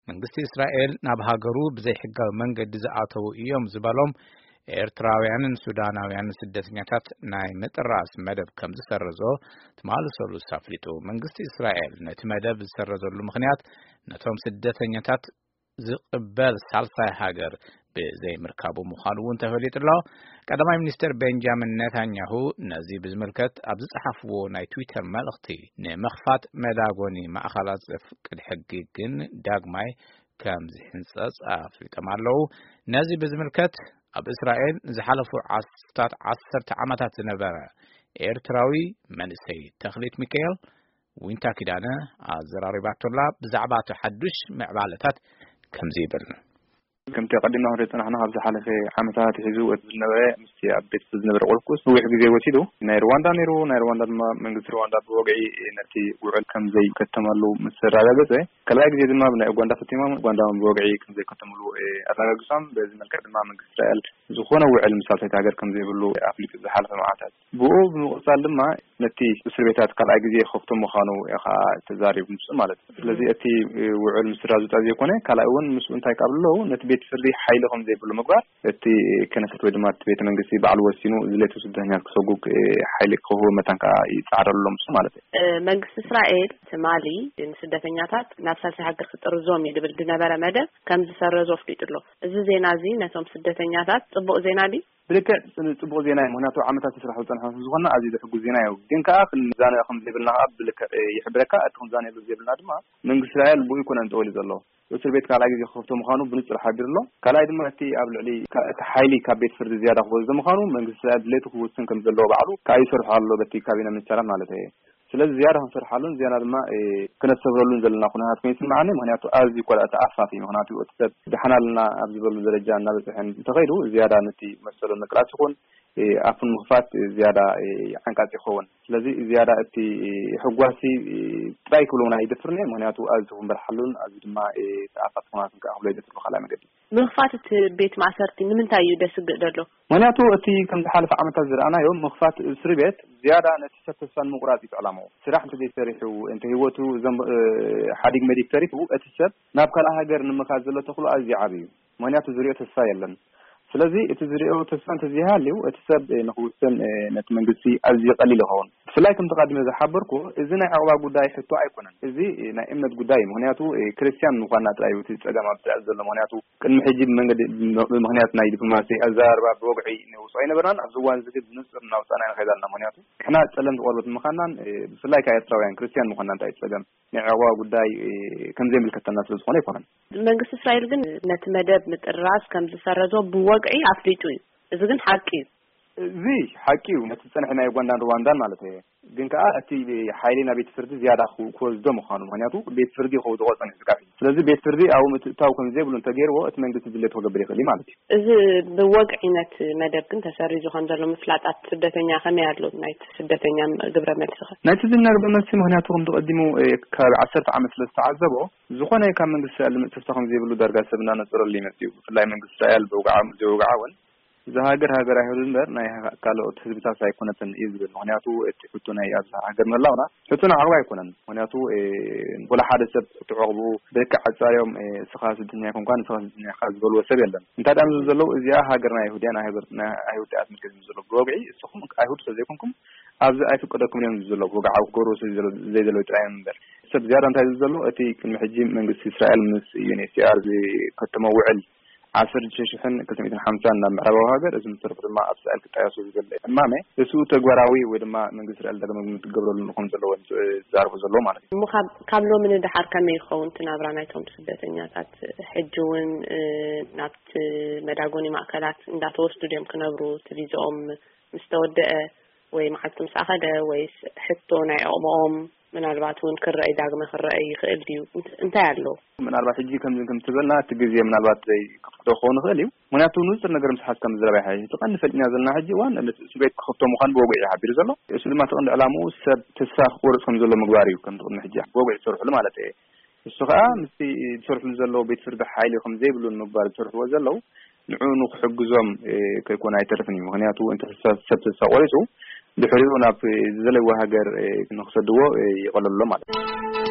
መንግስቲ እስራኤል ናብ ሃገሩ ብዘይሕጋዊ መንገዲ ዝኣተዉ እዮም ዝበሎም ኤርትራውያንን ሱዳናውያንን ስደተኛታት ናይ ምጥራስ መደብ ከም ዝሰረዞ ትማሊ ሰሉስ ኣፍሊጡ። መንግስቲ እስራኤል ነቲ መደብ ዝሰረዘሉ ምኽንያት ነቶም ስደተኛታት ዝቕበል ሳልሳይ ሃገር ብዘይምርካቡ ምዃኑ እውን ተፈሊጡ ኣሎ። ቀዳማይ ሚኒስትር ቤንጃሚን ኔታንያሁ ነዚ ብዝምልከት ኣብ ዝጸሓፍዎ ናይ ትዊተር መልእኽቲ፣ ንምኽፋት መዳጎኒ ማእኸላት ዘፍቅድ ሕጊ ግን ዳግማይ ከም ዝሕንጸጽ ኣፍሊጦም ኣለዉ። ነዚ ብዝምልከት ኣብ እስራኤል ንዝሓለፉ ዓስታት ዓሰርተ ዓመታት ዝነበረ ኤርትራዊ መንእሰይ ተኽሊት ሚካኤል ዊንታ ኪዳነ ኣዘራሪባቶላ። ብዛዕባ እቲ ሓዱሽ ምዕባለታት ከምዚ ይብል። ከምቲ ኣቐዲምና ክንሪኦ ዝጸናሕና፣ ካብ ዝሓለፈ ዓመታት ኣትሒዙ እቲ ዝነበረ ምስቲ ኣብ ቤት ፍርዲ ዝነበረ ቁልቁስ ነዊሕ ግዜ ወሲዱ። ናይ ሩዋንዳ ነይሩ። ናይ ሩዋንዳ ድማ መንግስቲ ሩዋንዳ ብወግዒ ነቲ ውዕል ከም ዘይከተመሉ ምስ ኣረጋገጸ፣ ካልኣይ ግዜ ድማ ብናይ ኡጋንዳ ፈቲሞም፣ ኡጋንዳ እውን ብወግዒ ከም ዘይከተምሉ፣ እ፣ ኣረጋጊጾም። በዚ መልክዕ ድማ መንግስቲ እስራኤል ዝኾነ ውዕል ምስ ሳልሰይቲ ሃገር ከም ዘይብሉ ኣፍሊጡ ዝሓለፈ መዓልታት። ብኡ ብምቕጻል ድማ ነቲ እስር ቤታት ካልኣይ ግዜ ክኸፍቶ ምዃኑ እዩ ኸዓ ተዛሪቡ ምስኡ ማለት እዩ። ስለዚ እቲ ውዕል ምስራዝ ጥራይ ዘይኮነ፣ ካልኣይ እውን ምስኡ እንታይ ይቃብሉ ኣለዉ፣ ነቲ ቤት ፍርዲ ሓይሊ ከም ዘይብሉ ምግባር፣ እቲ ከነሰት ወይ ድማ እቲ ቤተ መንግስቲ ባዕሉ ወሲኑ ዝለቱ ስደተኛታት ክሰጉግ ሓይሊ ክህቡ መታን ከዓ ይጻዕረሉ ኣሎ ምስኡ ማለት እዩ። እ፣ መንግስቲ እስራኤል ትማሊ ንስደተኛታት ናብ ሳልሳይ ሃገር ክጥርዞም እዩ ዝብል ዝነበረ መደብ ከም ዝሰረዞ ኣፍሊጡ ኣሎ። እዚ ዜና እዚ ነቶም ስደተኛታት ጽቡቕ ዜና ድዩ? ብልክዕ ጽቡቕ ዜና እዩ። ምኽንያቱ ዓመታት ይስራሕ ዝጸንሐ ዝኾንና ኣዝዩ ዘሕጉስ ዜና እዩ። ግን ከኣ ክንዛነ ከም ዘይብልና ከኣ ብልክዕ ይሕብረካ። እቲ ክንዛነየሉ ዘይብልና ድማ መንግስቲ እስራኤል ብኡ ይኮነን ጠወሊ ዘሎ። እስር ቤት ካልኣይ ግዜ ክኸፍቶ ምዃኑ ብንጹር ሓቢሩ ኣሎ። ካልኣይ ድማ እቲ ኣብ ልዕሊ ካ-፣ እቲ ሓይሊ ካብ ቤት ፍርዲ ዝያዳ ክወስዶ ምዃኑ መንግስቲ እስራኤል ድሌቱ ክውስን ከም ዘለዎ ባዕሉ ከኣ ይሰርሖ ኣሎ በቲ ካቢነ ሚኒስተራት ማለት እየ። ስለዚ ዝያዳ ክንሰርሓሉን ዝያዳ ድማ፣ እ፣ ክነስተብህለሉን ዘለና ኩነታት ኮይኑ ይስምዓኒ። ምኽንያቱ ኣዝዩ እኳ ተኣፋፊ፣ ምኽንያቱ እቲ ሰብ ደሓን ኣለና ኣብ ዝበሉ ደረጃ እናበጽሐ እንተኸይዱ ዝያዳ ነቲ መሰሉ ንምቅላስ ይኹን፣ እ፣ ኣፉ ንምኽፋት ዝያዳ፣ እ፣ ዓንቃጺ ይኸውን። ስለዚ ዝያዳ እቲ፣ እ፣ ሕጓሲ፣ እ፣ ጥራይ ክብሎ እውን ኣይደፍርን እየ። ምኽንያቱ ኣዝዩ ክምበርሓሉን ኣዝዩ ድማ፣ እ፣ ተኣፋፊ ኩነታት ከኣ ክብሎ ይደፍር ብኻልኣይ መገዲ። ምኽፋት እቲ ቤት ማእሰርቲ ንምንታይ እዩ ደስግእ ዘሎ? ምኽንያቱ እቲ ከም ዝሓለፈ ዓመታት ዝረኣናዮ ምኽፋት እስሪ ቤት ዝያዳ ነቲ ሰብ ተስፋ ንምቑራጽ እዩ ዕላምኡ። ስራሕ እንተ ዘይሰሪሑ፣ እንተ ህይወቱ ዘም-፣ እ፣ ሓዲግ መዲግ ተሪፉ፣ እቲ ሰብ ናብ ካልእ ሃገር ንምኻድ ዘሎ ተኽእሎ ኣዝዩ ዓቢ እዩ። ምኽንያቱ ዝሪኦ ተስፋ የለን። ስለዚ እቲ ዝሪኦ ተስፋ እንተዘይሃልዩ፣ እቲ ሰብ፣ እ፣ ንኽውስን፣ እ፣ ነቲ መንግስቲ ኣዝዩ ቀሊል ይኸውን። ብፍላይ ከምቲ ቀዲመ ዝሓበርኩ፣ እዚ ናይ ዕቑባ ጉዳይ ሕቶ ኣይኮነን። እዚ፣ እ፣ ናይ እምነት ጉዳይ እዩ። ምኽንያቱ፣ እ፣ ክርስትያን ምዃንና ጥራይ እዩ እቲ ጸገም ኣብ እስራኤል ዘሎ። ምኽንያቱ ቅድሚ ሕጂ ብመንገዲ፣ ብምኽንያት ናይ ዲፕሎማሲ ኣዘራርባ ብወግዒ ነውጽኦ ኣይነበርናን። ኣብዚ እዋን እዚ ግን ብንጹር እናውጻእና ንኸይድ ኣለና። ምኽንያቱ ንሕና ጸለምቲ ቆርበት ምዃንናን፣ እ፣ ብፍላይ ከኣ ኤርትራውያን ክርስትያን ምዃንና እንታይ እዩ ጸገም? ናይ ዕቑባ ጉዳይ፣ እ፣ ከም ዘይምልከተና ስለ ዝኾነ ኣይኮነን። መንግስቲ እስራኤል ግን ነቲ መደብ ምጥራዝ ከም ዝሰረዞ ብወግዒ ኣፍሊጡ እዩ። እዚ ግን ሓቂ እዩ። እዚ ሓቂ እዩ። ነቲ ዝጸንሐ ናይ ኡጋንዳን ሩዋንዳን ማለት እየ። ግን ከኣ እቲ ሓይሊ ናብ ቤት ፍርዲ ዝያዳ ክው-፣ ክወስዶ ምዃኑ፣ ምኽንያቱ ቤት ፍርዲ ክውድቖ ጸኒሑ ስጋብ ሕጂ። ስለዚ ቤት ፍርዲ ኣብኡ ምትእትታው ከም ዘይብሉ እንተገይርዎ፣ እቲ መንግስቲ ድሌቱ ክገብር ይኽእል እዩ ማለት እዩ። እዚ ብወግዒ ነቲ መደብ ግን ተሰሪዙ ከም ዘሎ ምፍላጥ ኣብቲ ስደተኛ ከመይ ኣሎ? ናይቲ ስደተኛ ግብረ መልሲ ኸ? ናይቲ ዝናገበ መልሲ፣ ምኽንያቱ ከምቲ ቀዲሙ፣ እ፣ ካብ ዓሰርተ ዓመት ስለ ዝተዓዘቦ፣ ዝኾነ ካብ መንግስቲ እስራኤል ዝመጽእ ተስፋ ከም ዘይብሉ ዳርጋ ሰብ እናነጸረሉ ይመጽእ እዩ። ብፍላይ መንግስቲ እስራኤል ብውግዓ ዘይውግዓ እውን፣ እዛ ሃገር ሃገር ኣይሁድ እምበር ናይ ሃ-፣ ካልኦት ህዝብታት ኣይኮነትን እዩ ዝብል። ምኽንያቱ እቲ ሕቶ ናይ ኣብዛ ሃገር ምህላውና ሕቶ ናይ ዓቕባ ኣይኮነን። ምኽንያቱ፣ እ፣ ወላ ሓደ ሰብ እቲ ዕቕብኡ ብልክዕ ኣጻርዮም፣ እ፣ እስኻ ስደተኛ ኣይኮንካን፣ እስኻ ስደተኛ ኢኻ ዝበልዎ ሰብ የለን። እንታይ ደኣ ዝብሉ ዘለዉ፣ እዚኣ ሃገር ናይ ኣይሁድ እያ፣ ናይ ሃገር ናይ ኣይሁድ እያ ትምልከት ዝብሉ ዘለዉ። ብወግዒ እስኹም ኣይሁድ ስለ ዘይኮንኩም ኣብዚ ኣይፍቀደኩም እዮም ዝብሉ ዘለዉ። ብወግዓዊ ክገብርዎ ስለ ዘይደለ-፣ ዘይደለዩ ጥራይ እዮም እምበር። ሰብ ዝያዳ እንታይ ዝብሉ ዘለዉ፣ እቲ ቅድሚ ሕጂ መንግስቲ እስራኤል ምስ ዩ ኤን ኤች ሲ ኣር ዝከተሞ ውዕል ዓሰርተ ሽዱሽተ ሽሕን ክልተ ሚእትን ሓምሳን ናብ ምዕራባዊ ሃገር፣ እዚ ምስ ተረፉ ድማ ኣብ እስራኤል ክጣየሱ ዝብል እማመ፣ እሱ ተግባራዊ ወይ ድማ መንግስቲ እስራኤል ዳግመ ግምት ክገብረሉ ከም ዘለዎ ዝዛረቡ ዘለዉ ማለት እዩ። እሞ ካብ፣ ካብ ሎሚ ንደሓር ከመይ ይኸውን እቲ ናብራ ናይቶም ስደተኛታት? ሕጂ እውን፣ እ፣ ናብቲ መዳጎኒ ማእከላት እንዳተወስዱ ድዮም ክነብሩ? እቲ ቪዝኦም ምስ ተወደአ ወይ መዓልቲ ምስ ኣኸለ ወይስ ሕቶ ናይ ዕቕብኦም ምናልባት እውን ክረኣይ፣ ዳግመ ክረኣይ ይኽእል ድዩ? እንት-፣ እንታይ ኣሎ? ምናልባት ሕጂ ከምዚ ከም ትበልና እቲ ግዜ ምናልባት ዘይከፍቅዶ ክኸውን ይኽእል እዩ። ምኽንያቱ ንጹር ነገር ምስ ሓዝካ ምዝራብ ይሓይሽ። እቲ ቀንዲ ፈሊጥና ዘለና ሕጂ እዋን ነቲ እስር ቤት ክኸፍቶ ምዃኑ ብወግዒ እዩ ሓቢሩ ዘሎ። እሱ ድማ እቲ ቀንዲ ዕላምኡ ሰብ ተስፋ ክቆርጽ ከም ዘሎ ምግባር እዩ። ከምቲ ቅድሚ ሕጂ ብወግዒ ዝሰርሕሉ ማለት እየ። እሱ ኸኣ ምስቲ ዝሰርሕሉ ዘለዉ ቤት ፍርዲ ሓይሊ ከም ዘይብሉ ንምግባር ዝሰርሕዎ ዘለዉ ንዕኡ ንክሕግዞም፣ እ፣ ከይኮነ ኣይተርፍን እዩ። ምኽንያቱ እንተ ሰብ፣ ሰብ ተስፋ ቆሪጹ ድሕሪኡ ናብ ዝደለይዎ ሃገር፣ እ፣ ንክሰድዎ፣ እ፣ ይቐለሎ ማለት እዩ።